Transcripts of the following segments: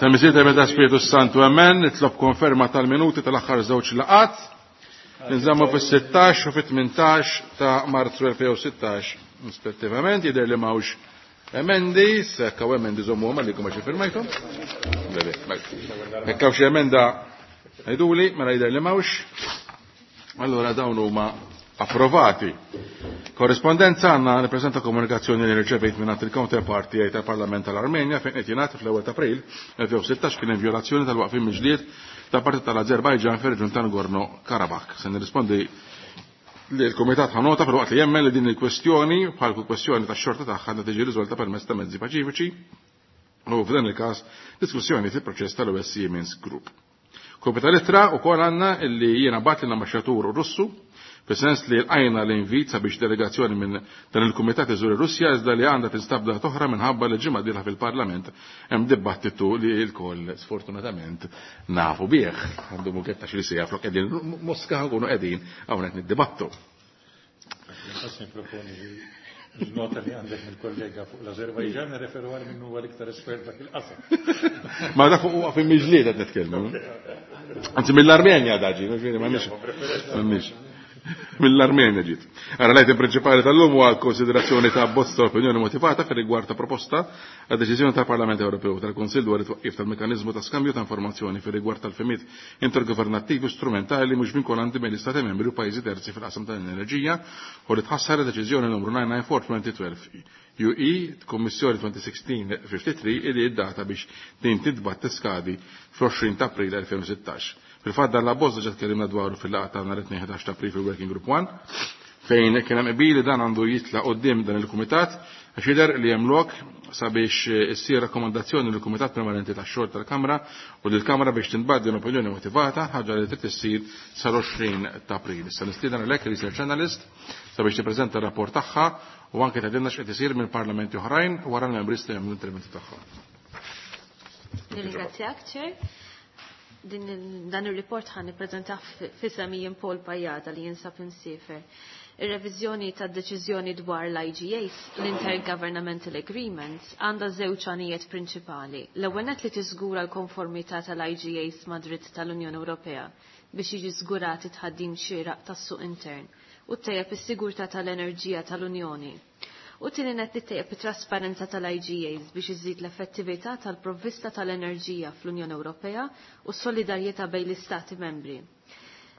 Semiżiet meta Spiritu Santu Amen, nitlob konferma tal-minuti tal-aħħar żewġ laqat. Nżammu fis-16 u fit-18 ta' Marzu 2016 rispettivament, jidher li m'hawnx emendi, sekk hawn emendi żommu għalikom għax firmajthom. Hekk hawn xi emenda ngħiduli, mela jidher li m'hawnx. Allura dawn huma approvati. Korrispondenza għandna nippreżenta komunikazzjoni li rċevejt minn il-counterpart tiegħi tal-Parlament tal-Armenja fejn qed jingħad fl-ewwel ta' April 2016 kien hemm vjolazzjoni tal-waqfien mill-ġlied ta' parti tal-Azerbajġan fir-reġjun ta' Nagorno-Karabakh. Se nirrispondi li l-Kumitat ħa nota filwaqt li jemmen li din il-kwestjoni bħal kull kwestjoni tax-xorta tagħha għandha tiġi riżolta permezz ta' mezzi paċifiċi u f'dan il-każ diskussjoni fil-proċess tal-OSCE Minsk Group. Kopja tal-ittra wkoll għandna illi jiena bat lill-ambaxxatur Russu fis-sens li lqajna l-invit sabiex delegazzjoni minn dan il-kumitat iżur ir-Russja iżda li għandha tinstab data oħra minħabba li ġimgħa dieħla fil-Parlament hemm dibattitu li lkoll sfortunatament nafu bih. Għandu muketta xi sija flok qegħdin Moska nkunu qegħdin hawnhekk niddibattu. Il-nota li għandek mill-kollega fuq l-Azerbajġan referu għal minnu huwa l-iktar espert dak il-qasam. Ma dak huwa fi miġlied qed nitkellmu. Anzi mill-Armenja daġi, m'għandniex. Mill-Armenja ġiet. Ara l-item prinċipali tal-lum huwa konsiderazzjoni ta' abbozz ta' opinjoni motivata fir rigward ta' proposta għad deċiżjoni tal-Parlament Ewropew tal-Kunsill dwar it-twaqqif tal-mekanizmu ta' skambju ta' informazzjoni fir rigward tal-femiet intergovernattivi strumentali mhux vinkolanti bejn l-Istati membri u pajjiżi terzi fil-qasam tal-enerġija u li tħassar deċiżjoni numru 994-2012 UE Kommissjoni 2016-53 illi id-data biex din tintbat tiskadi fl-20 ta' April 2016. Fil-fatt dan l-abbozz diġà tkellimna dwaru fil-laqgħa ta' nhar it-Tnejn 11 ta' April fil-Working Group 1 fejn kien hemm qbil li dan għandu jitla' quddiem dan il-kumitat għax jidher li hemm lok sabiex issir rakkomandazzjoni lill-Kumitat Permanenti tax-Xogħol tal-Kamra u lill-Kamra biex tinbagħat din opinjoni motivata, ħaġa li trid issir sal-20 ta' April. Issa nistieden għalhekk research analyst sabiex tippreżenta r-rapport tagħha u anke tgħidilna x'qed isir minn parlamenti oħrajn wara l-membri jistgħu jagħmlu l-interventi tagħhom. Nirringrazzjak, Chair. Din, dan ir-report ħan nippreżentah f'isem Ian Paul Pajada li jinsab insifer. Ir-reviżjoni tad-deċiżjoni dwar l-IGAs, l-Intergovernmental Agreements, għandha żewġ għanijiet prinċipali. L-ewwel nett li tiżgura l-konformità tal-IGAs ma' dritt tal-Unjoni Ewropea biex jiġi żgurat it-tħaddim xieraq tas-suq intern u ttejjeb is-sigurtà tal-enerġija tal-Unjoni. U tieni nett li ttejjeb it-trasparenza tal-IGAs biex iżid l-effettività tal-provvista tal-enerġija fl-Unjoni Ewropea u s-solidarjetà bejn l-Istati membri.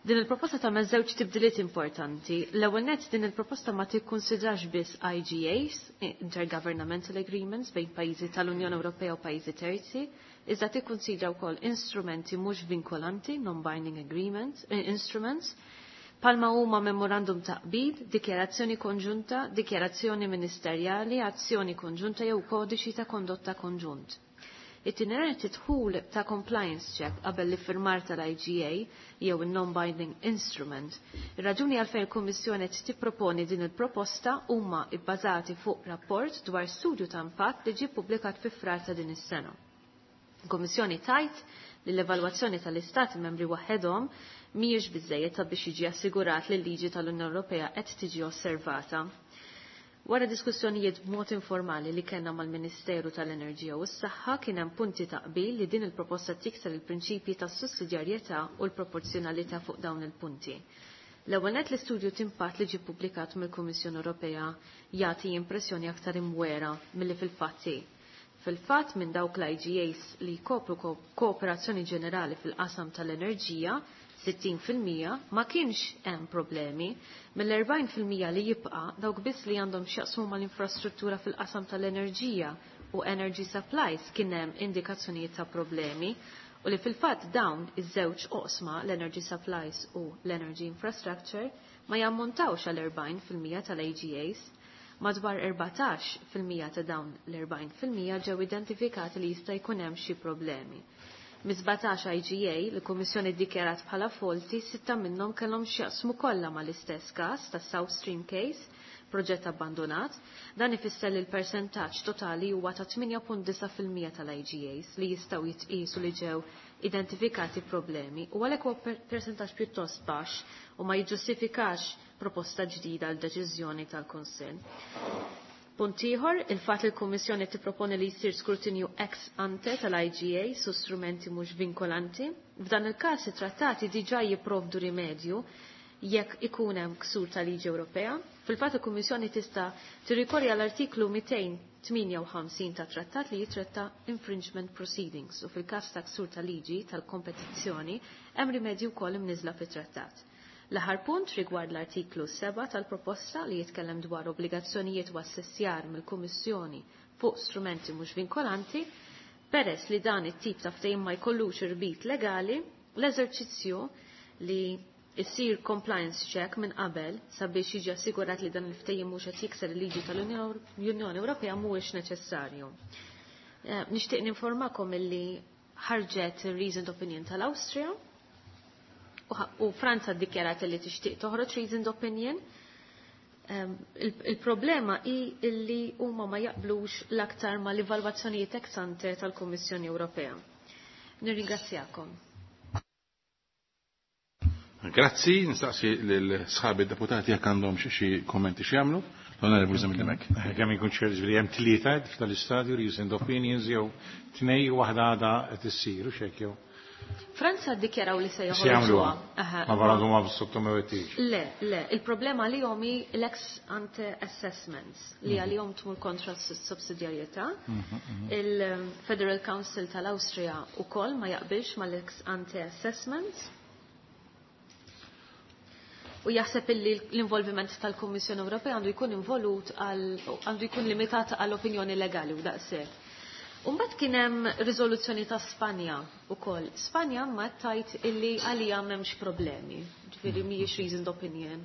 Din il-proposta tagħmel żewġ tibdiliet importanti. L-ewwel nett din il-proposta ma tikkunsidrax biss IGAs, Intergovernmental Agreements, bejn pajjiżi tal-Unjoni Ewropea u pajjiżi terzi, iżda tikkunsidra wkoll instrumenti mhux vinkolanti, non-binding agreements, instruments, palma huma memorandum ta' qbil, dikjarazzjoni konġunta, dikjarazzjoni ministerjali, azzjoni konġunta jew kodiċi ta' kondotta konġunt. It-tieni tidħul ta' compliance check qabel l-iffirmar tal-IGA jew il-non-binding instrument. Ir-raġuni għalfejn il-Kummissjoni qed tipproponi din il-proposta huma bbażati fuq rapport dwar studju ta' impatt li ġie ppubblikat fi Frar ta' din is-sena. Il-Kummissjoni tajt li l-evalwazzjoni tal-Istati membri waħedhom mhijiex biżejjed sabiex jiġi assigurat li l-liġi tal-Unjoni Ewropea qed tiġi osservata. Wara diskussjonijiet b'mod informali li kellna mal-Ministeru tal-Enerġija u s-Saħħa kien hemm punti ta' qbil li din il-proposta tikser il-prinċipji tas-sussidjarjetà u l-proporzjonalità fuq dawn il-punti. L-ewwel nett l-istudju t'impatt li ġie ppubblikat mill-Kummissjoni Ewropea jagħti impressjoni aktar imwera milli fil-fatt hi. Fil-fatt minn dawk l-IGAs li jkopru kooperazzjoni ġenerali fil-qasam tal-enerġija, 60% ma kienx hemm problemi. Mill-40% li jibqa' dawk biss li għandhom x'jaqsmu mal-infrastruttura fil-qasam tal-enerġija u energy supplies kien hemm indikazzjonijiet ta' problemi u li fil-fatt dawn iż-żewġ oqsma l-energy supplies u l-energy infrastructure ma jammontawx għal 40% tal-AGAs. Madwar 14% ta' dawn l-40% ġew identifikati li jista' jkun hemm xi problemi. Mis-17 IGA li l-Kummissjoni ddikjarat bħala faulty, sitta minnhom kellhom x'jaqsmu kollha mal-istess każ tas South Stream case, proġett abbandonat. Dan ifisser li l-persentaġġ totali huwa ta' 8.9% tal-IGAs li jistgħu jitqisu li ġew identifikati problemi u għalhekk huwa persentaġġ pjuttost baxx u ma jiġġustifikax proposta ġdida għal deċiżjoni tal-Kunsill. Punt ieħor, il-fatt li l-Kummissjoni tipproponi li jsir skrutinju ex ante tal-IGA su strumenti mhux vinkolanti. F'dan il-każ it-trattati diġà jipprovdu rimedju jekk ikun hemm ksur tal-liġi Ewropea. Fil-fatt il-Kummissjoni tista' tirrikorri għall-artiklu 258 tat-trattat li jitratta infringement proceedings u fil-każ ta' ksur tal-liġi tal-kompetizzjoni hemm rimedju wkoll imniżla fit-trattat. L-aħħar punt rigward l-artiklu 7 tal-proposta li jitkellem dwar obbligazzjonijiet u assessjar mill-Kummissjoni fuq strumenti mhux vinkolanti, peress li dan it-tip ta' ftehim ma jkollux irbit legali, l-eżerċizzju li jsir compliance check minn qabel sabiex jiġi assigurat li dan il-ftehim mhux qed jikser il-liġi tal-Unjoni Ewropea mhuwiex neċessarju. Nixtieq ninformakom illi ħarġet reasoned opinion tal-Awstrija u Franza ddikjarat li tixtieq toħroġ reasoned opinion. Il-problema hi illi huma ma jaqblux l-aktar ma l-evalwazzjonijiet ex ante tal-Kummissjoni Ewropea. Nirringrazzjakom. Grazzi, nistaqsi lil sħabi deputati jekk għandhom xi kommenti xi jagħmlu. L-Onorevoli Zammit Dimech. Kemm ikun ċert li hemm tlieta f'tal-istadju reasoned opinions jew tnej waħda għadha qed issir u x'hekk jew. Franza ddikjaraw li se Se jagħmluha. joħorġuha. Ma baradu ma sottomettix. Le, le, il-problema li jom hi l-ex ante assessments li għalihom tmur kontra s-sussidjarjetà. Il-Federal Council tal-Awstrija ukoll ma jaqbilx mal-ex ante assessments. U jaħseb illi l-involviment tal-Kummissjoni Ewropea għandu jkun involut għal għandu jkun limitat għall opinjoni legali u daqshekk. Umbagħad kien hemm riżoluzzjoni ta' Spanja ukoll. Spanja ma tajt illi għalija m'hemmx problemi, ġifieri mhijiex reasoned opinion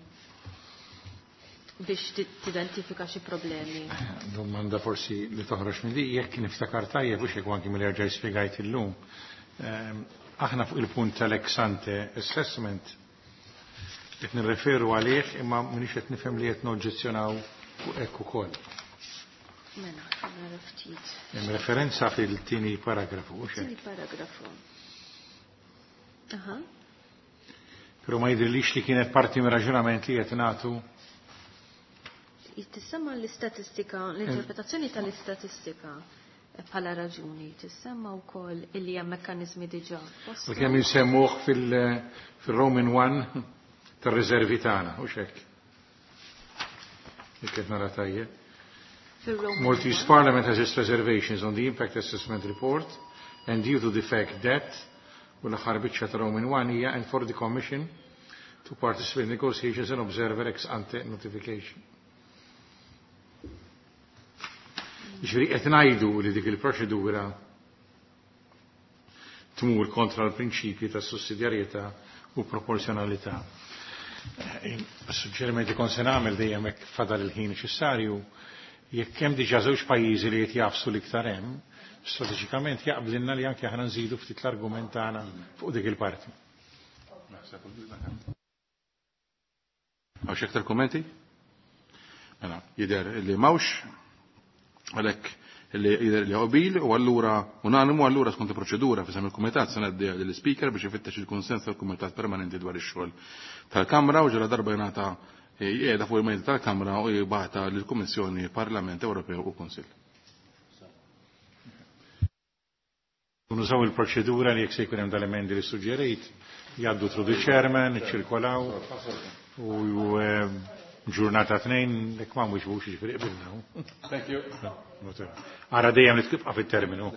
biex tidentifika xi problemi. Domanda forsi li toħroġ minn di, jekk niftakar tajjeb u xek anki mill erġa' spjegajt illum. Aħna fuq il-punt tal-ex ante assessment qed nirreferu għalih imma m'iniex qed nifhem li qed noġġezzjonaw fuq hekk ukoll. Mela, nara ftit. Hemm referenza fil-tieni paragrafu, u xek. Tieni paragrafu. Aha. Però ma jidhirlix li kienet parti mir raġunament li qed nagħtu. Tissemma l-istatistika, l-interpretazzjoni tal-istatistika bħala raġuni, tissemma wkoll illi hemm mekkaniżmi diġà. U kemm insemmuh fil-Roman 1 tar-riservi tagħna, u xek. Jekk qed nara tajjeb. Fil-Roman Maltese 1. Parliament has its reservations on the impact assessment report and due to the fact that u l-aħħar biċċa ta' Roman 1 hija and for the Commission to participate in negotiations and observer ex ante notification. Ġifieri qed ngħidu li dik il-proċedura tmur kontra l-prinċipji ta' sussidjarjetà u proporzjonalità. Suġġerimenti kon se nagħmel dejjem hekk fadal il-ħin neċessarju, jekk hemm diġà żewġ pajjiżi li qed jafsu l-iktar hemm, strateġikament jaqblilna li anke aħna nżidu ftit l-argument tagħna fuq dik il-parti. Hawn xi aktar kommenti? Mela, jidher li m'hawnx, għalhekk li jidher li qbil u allura unanimu allura skont il-proċedura f'isem il-Kumitat se ngħaddi lill-Speaker biex ifittex il-kunsens tal-Kumitat Permanenti dwar ix-xogħol tal-Kamra u ġara darba jingħata qiegħda fuq il-mejda tal-Kamra u jibgħatha lill-Kummissjoni Parlament Ewropew u Kunsill. Nużaw il-proċedura li jekk se jkun hemm dal-emendi li suġġerejt, jgħaddu through the chairman, iċċirkolaw u ġurnata tnejn jekk ma mhux bux jiġifieri qbilna. Thank you. Ara dejjem li tibqa' fit-terminu.